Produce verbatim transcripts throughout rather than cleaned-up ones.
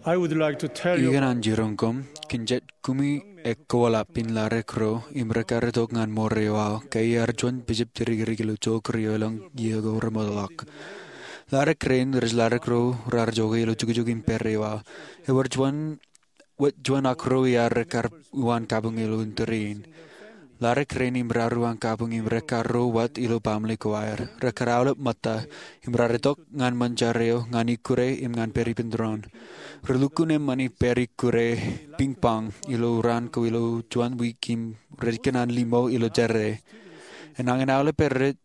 I would like to tell you Ikōṇaan jiroñ koṃ, kōn jet kumi ekkoḷap in laḷ ro im rekar itok ñan ṃoor eo aō, ke iar juon bishop jidikdik ilo Jokri eo elōñ iiō ko remootḷọk. Laḷ rein rej laḷ ro raar jokwe ilo jukjuk im pād eo aō. Ewōr juon, wōt juon ak ruo iaar rekar uwaan kabuñ ilo indeeo in. Laḷ rein im raar uwaan kabuñ im rekar ro wōt ilo baaṃle ko aer. Rekar aolep ṃōtta im raar itok ñan ṃōn jar eo ñan ikkure im ñan pād ippān doon. Relukkuun eṃṃan im pād ikkure ping pong ilo raan ko ilo juon wiik im rej kōṇaan limo ilo jerā. Enañin aolep rej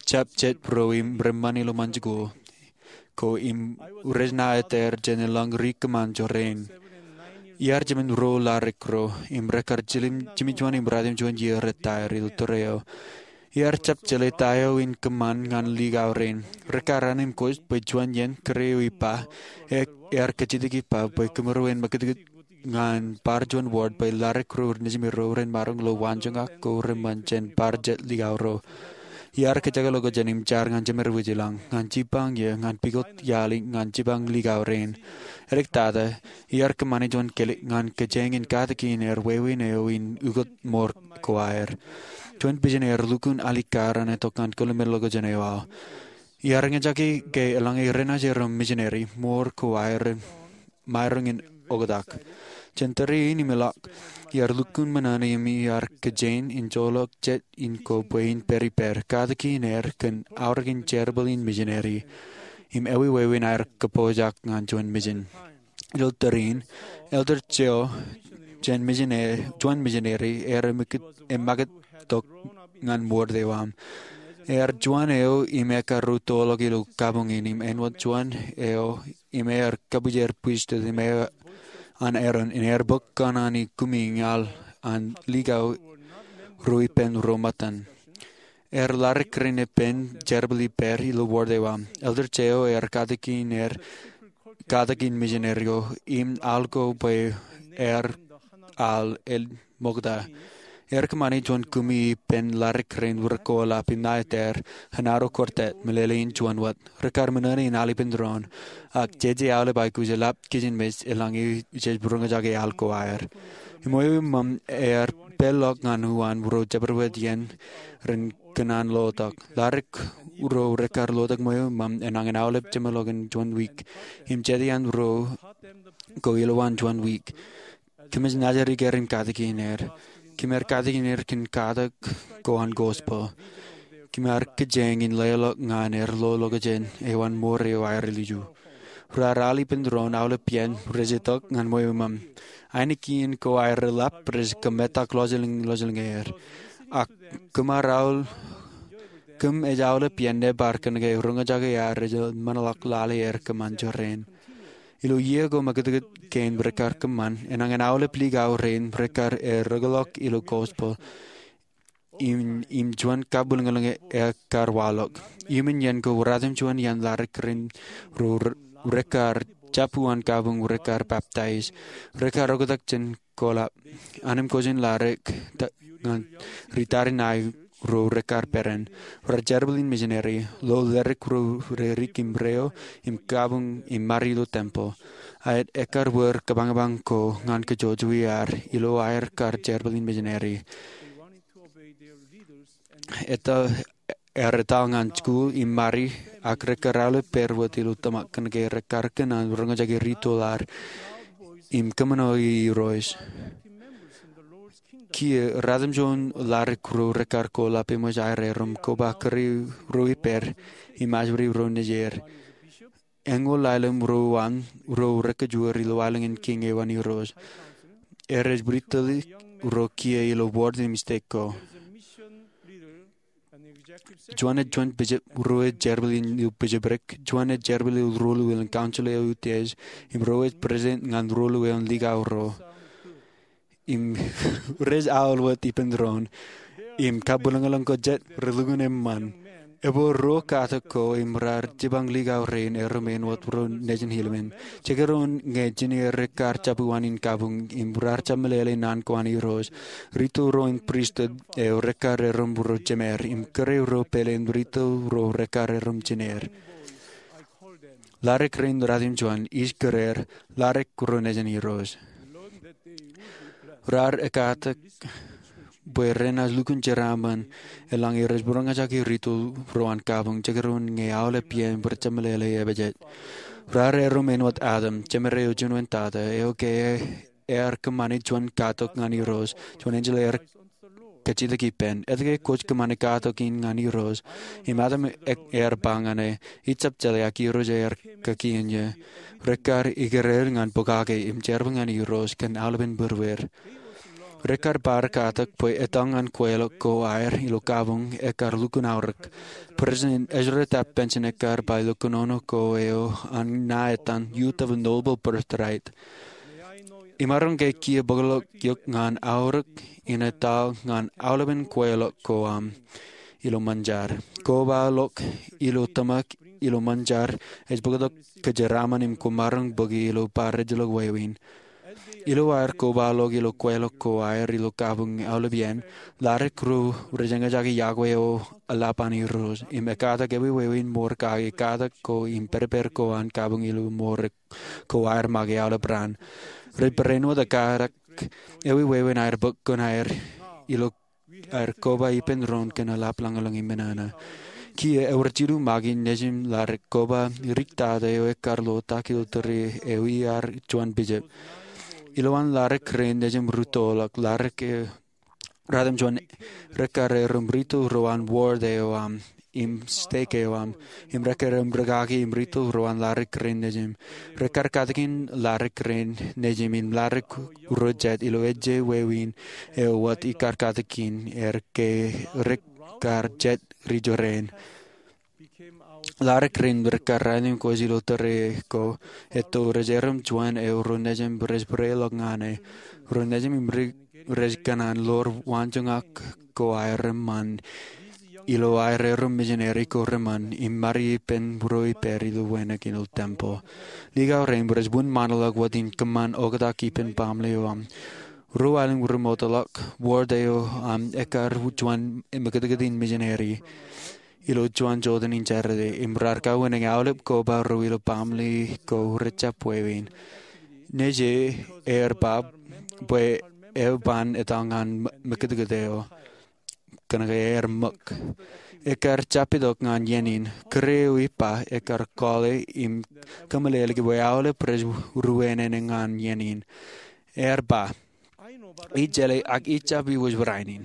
jab jet ro im reṃṃan ilo ṃōn jikuuḷ ko im rej na eteer jān elōñ ri kōṃṃan jorrāān. Iar jemān ruo laḷ ro im rekar jiljilimjuon im ratimjuon iiō rej ta er ilo tōre eo. Iar jab jeḷā ta eo in kōṃṃan ñan likao rein. Rekar anemkwōj bwe juon iien kōrā eo ippa, e, ear kajjitōk ippa bwe kōmro en makūtkūt ñan bar juon ward bwe laḷ ro nejimero ren maroñ ilo waanjoñak ko reṃṃan jān bar jet likao ro. Iar kōjekḷọk jān im jar ñan jemed wōj ilañ, ñan jipañ iiō, ñan pukot iaḷ im ñan jipañ likao rein. Edik tata, iar kōṃṃane juon kelek ñan kōjeañ in katakin er wāween eo in ukōt ṃoor ko aer. Juon bishop eo lukkuun alikkar an itok ñan kōḷmānḷọkjeṇ eo aō. Iar eñjake ke eḷaññe renaaj ro misineri, ṃoor ko aer maroñ in oktak. Jān tōre in im ilọk, iar lukkuun ṃōṇōṇō im iar kōjeañ in joḷọk jet in ko bwe in pād ippād, katakin er kōn aorōkin jerbal in misineri im ewāween aer kōpooj ñan juon misin. Ilo tōre in, Elder Cheo, jān misineri, juon misineri, ear emakūt tok ñan ward eo aṃ. Ear juon eo im ekar ruo toḷọk ilo kabuñ in im āinwōt juon eo im ear kabwijer pristut im eo an Aaron im ear bōk kōṇaan in kumi ñan likao ruo ippān ruo ṃōttan. Er laḷ rein ippān jerbal ippād ilo ward eo aṃ. Elder Cheo ear katakin er, katakin misineri ko im al ko bwe ear al el ṃokta. Ear kōṃṃane juon kumi ippān laḷ rein rekwoḷap im na eteer, Genaro Quartet, meḷeḷein juon wōt. Rekar ṃōṇōṇō in al ippān doon. Ak jeje aolep aikuj eḷap kijenmej eḷaññe jej roñjake al ko aer. Im eo eṃṃan ear peḷḷọk ñan uwaan ro jabdewōt iien ren kōṇaan lotok. Laḷ ro rekar lotok eo eṃṃan enañin aolep jeṃḷọkin juon wiik. Im jete an ro ko ilowaan juon wiik. Kōmij naaj riik er im katakin er. Kōm ar katakin er kōn katak ko an gospel. Kōm ar kōjeañ in leḷọk ñan er lolọkjeṇ eo an ṃoor eo aer ilju. Raar al ippān doon aolep iien rej itok ñan eo eṃṃan. Ainikien ko aer eḷap rej kōmetak lọjilñlọjilñe er. Ak kōm ar aolep, kōm ej aolep iien ebar kōnke roñjake aer rej ṃōṇōḷọk lale er kōṃṃan jorrāān. Ilo iiō ko makūtkūt kein rekar kōṃṃan, enañin aolep likao rein rekar erōkḷọk ilo gospel im, im juon kabwilōñlōñ ekar waḷọk. Iuṃwin iien ko ratimjuon iien laḷ rein ro rekar jab uwaan kabuñ rekar baptize. Rekar oktak jān koḷap. Anemkwōj in laḷ ñan ri tariṇae ro rekar peran. Raar jerbal in misineri, lo ḷadik ro rerik im reo, im kabuñ im mari ilo temple. Aet ekar wōr kabañbañ ko ñan kajjojo iaar, ilo aer kar jerbal in misineri. Eta, ear etal ñan jikuuḷ im mari, ak rekar aolep pād wōt ilo tōmak kōnke rekar kōṇaan roñjake ritoḷ ar im kōṃṃane Irooj. Kiiō, ratimjuon laḷ ro rekar koḷap eṃōj aer erom koba kōrā ro ippād im ajri ro nejier. Eñoul aelōñ ro an ro rekajoor ilo aelōñ in kiiñ eo an Irooj. Erej bwidtōḷọk ro kiiō ilo ward im stek ko. Juon ej juon bishop, ruo ej jerbal in ilo bishopric, juon ej jerbal ilo ruo ilo council eo utiej, im ruo ej president ñan ruo ilo likao ro. Im rej aolep ippān doon. Im kabwilōñlōñ ko jet relukkuun eṃṃan. Ebwe ruo katak ko im raar jipañ likao rein erom āinwōt ro nejin ilmen. Jekdọọn ñe jineer rekar jab uwaan in kabuñ im raar jab meḷeḷe naan ko an Irooj. Ritoḷ ro in pristut eo rekar erom ro jemeer im kōrā ro pāleen ritoḷ ro rekar erom jineer. Ladik rein ratimjuon, ij kōrā, ladik ro nejin Irooj. Raar ekkatak bwe renaaj lukkuun jeraaṃṃan eḷaññe rej būroñjake ri-tōl ro an kabuñ jekdọọn ñe aolep iien bwe rej jab meḷeḷe epejet. Raar erom āinwōt Adam, jemed eo juon wōn tata, eo ke ear kōṃṃani juon katok ñan Irooj, juon enjeḷ ear kajjitōk ippān. Etke kwōj kōṃṃani katok in ñan Irooj? Im Adam ear ba ñan e, Ij jab jeḷā, ak Irooj ear kakien eō. Rekkar ikōrā ñan pokake im jerbal ñan Irooj kōn aolepen būrueir. Rekkar bar katak bwe etal ñan kweilọk ko aer ilo kabuñ ekkar lukkuun aorōk. President Ezra Taft Benson ekkar ba ilo kōnono ko eo an ṇa etan Youth of a Noble Birthright, Imaroñ ke kiiō bōklọk eok ñan aorōk in etal ñan aolepen kweilọk ko aṃ ilo ṃōn jar. Kobaḷọk ilo tōmak ilo ṃōn jar ej bōktok kōjeraaṃṃan im kwōmaroñ bōki ilo bar ejjeḷọk wāween. Ilo aer kobaḷọk ilo kweilọk ko aer ilo kabuñ aolep iien, ladik ro rej eñjake iọkwe eo eḷap an Irooj im ekkatak ewi wāween ṃool kake katak ko im pād ippād ko an kabuñ ilo ṃool ko aer make aolep raan. Rej barāinwōt ekkatak ewi wāween aer bōk kōn aer ilo aer koba ippān doon kōn eḷap lañlōñ im nana. Kiiō ewōr jilu make nejin ladik koba dik tata eo ekkar lo tak ilo tōre eo iar juon bishop. Ilowaan ladik rein nejin rūttoḷọk, ladik eo ratimjuon rekkar erom ri-tōl ro an ward eo aṃ im stek eo aṃ, im rekkar erom rūkaki im ri-tōl ro an ladik rein nejin. Rekkar katakin ladik rein nejin im ladik ro jet ilo ejje wāween eo wōt ikar katakin er ke rekkar jet ri jorrāān. Ladik rein rekkar raelep kōj ilo tōre ko etto rej erom juon eo ro nejin rej būreḷọk ñan e. Ro nejin im ri rej kōṇaan ḷoor waanjoñak ko aer eṃṃan ilo aer erom misineri ko reṃṃan im mari ippān būro ippād ilo wānōk ilo tempeḷ. Likao rein rej wūn ṃaanḷọk wōt in kōṃṃan oktak ippān baaṃle eo aṃ. Ruo aelōñ remootḷọk, ward eo aṃ ekkar juon mekūtkūt in misineri ilo juon jota in Jatede im raar kawinōñ aolep koba ro ilo baaṃle ko rej jab wāween. Nejin ear ba bwe eo ban etal ñan mekūtkūt eo kōnke ear ṃōk. Ekkar jab itok ñan iien in. Kūr eo ippa ekkar kọọle im kōmeḷeḷeiki bwe aolep rej ruōnōnō ñan iien in. Ear ba, Ij jeḷā, ak ij jab iwōj barāinwōt in.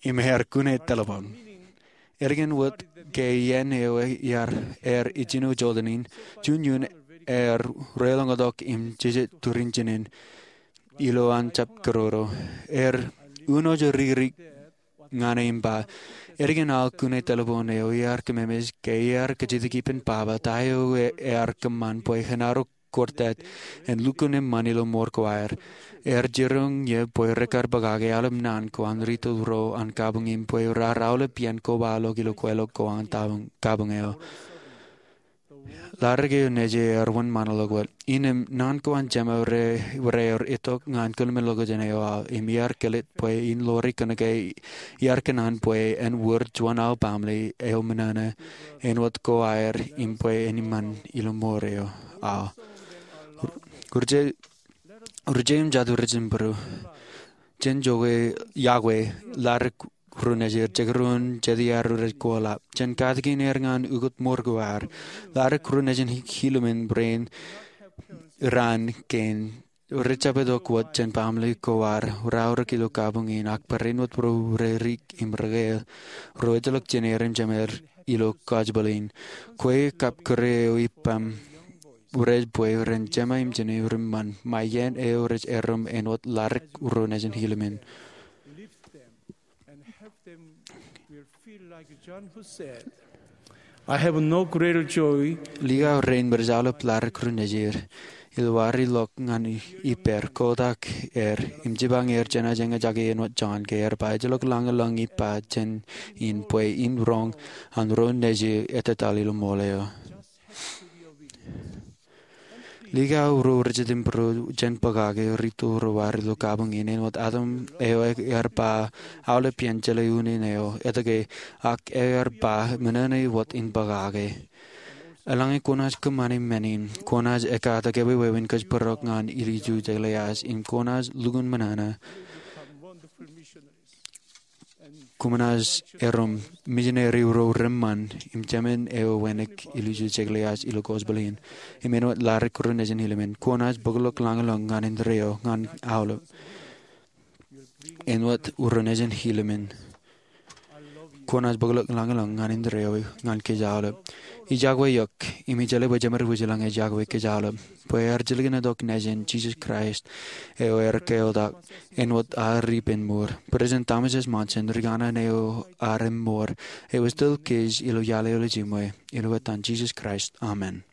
Im ear kune telephone. Ālikin wōt ke iien eo ear ijjino jota in, juon iien ear reḷọñtok im jijet turin jinen ilo an jab kōroro. Ear uno joririk ñan e im ba, Ālikin aō kune telephone eo iar kōmemes ke iar kajjitōk ippān baba ta eo ear kōṃṃan bwe en arro kōrtāt en lukkuun eṃṃan ilo ṃool ko aer. Ear jiroñ ie bwe rekkar pokake aolep naan ko an ri-tōl ro an kabuñ im bwe raar aolep iien kobaḷọk ilo kweilọk ko an kabuñ eo. Ladik eo nejin ear wūn ṃaanḷọk wōt. Innām naan ko an jema rear itok ñan kōḷmānḷọkjeṇ eo aō im iar kōlōt bwe in ḷoori kōnke iar kōṇaan bwe en wōr juon aō baaṃle eo ṃōṇōṇō āinwōt ko aer im bwe en eṃṃan ilo ṃool eo aō. Ri-jeim jatū rej jibūrū. Jen iọkwe ladik ro nejin jekdọọn jet iaer rej koḷap. Jen katakin er ñan ukōt ṃool ko aer. Ladik ro nejin Helaman rein raan kein rej jab itok wōt jān baaṃle ko aer raorōk ilo kabuñ in ak barāinwōt ro rej rik im rekāāl ro ejjeḷọk jān er im jemed ilo kajjibōl in. Kwe kab kūr eo ippaṃ rej bwe ren jema im jinen reṃṃan ṃae iien eo rej erom āinwōt ladik ro nejin Helaman. I have no greater joy. Likao rein rej aolep ladik ro nejin. Ilo aer ilọk ñan ippāer, kotak er im jipañ er jenaaj eñjake āinwōt Jon ke ear ba ejjeḷọk lañlōñ ippa jān in bwe in roñ an ro nejin etetal ilo ṃool eo. Likao ro rej jitōnbōro jān pokake ri-tōl ro aer ilo kabuñ in āinwōt Adam eo ear ba aolep iien jeḷā unin eo etke ak ear ba ṃōṇōṇō wōt in pokake. Eḷaññe kwōnaaj kōṃṃani men in, kwōnaaj ekkatak ewi wāween kōjparok ñan ilju Jekōḷias im kwōnaaj lukkuun ṃōṇōṇō. Kwōnaaj erom misineri ro reṃṃan im jemān eo wānōk ilju Jekōḷias ilo gospel in im āinwōt ladik ro nejin hilimen. Kwōnaaj bōkḷọk lañlōñ ñan indeeo ñan aolep āinwōt ro nejin hilimen. Kwōnaaj bōkḷọk lañlōñ ñan indeeo ñan kōj aolep. Ijjak we iọk im ij jeḷā bwe jemed wōj ilañ ijjak we kōj aolep bwe ear jilkintok Nejin Jisōs Kraist eo ear keotak āinwōt ad ippān mour. President Thomas S. Monson, rikana eo ad im mour, eo ej tōl kōj ilo ialel jiṃwe, ilo etan Jisōs Kraist, amen.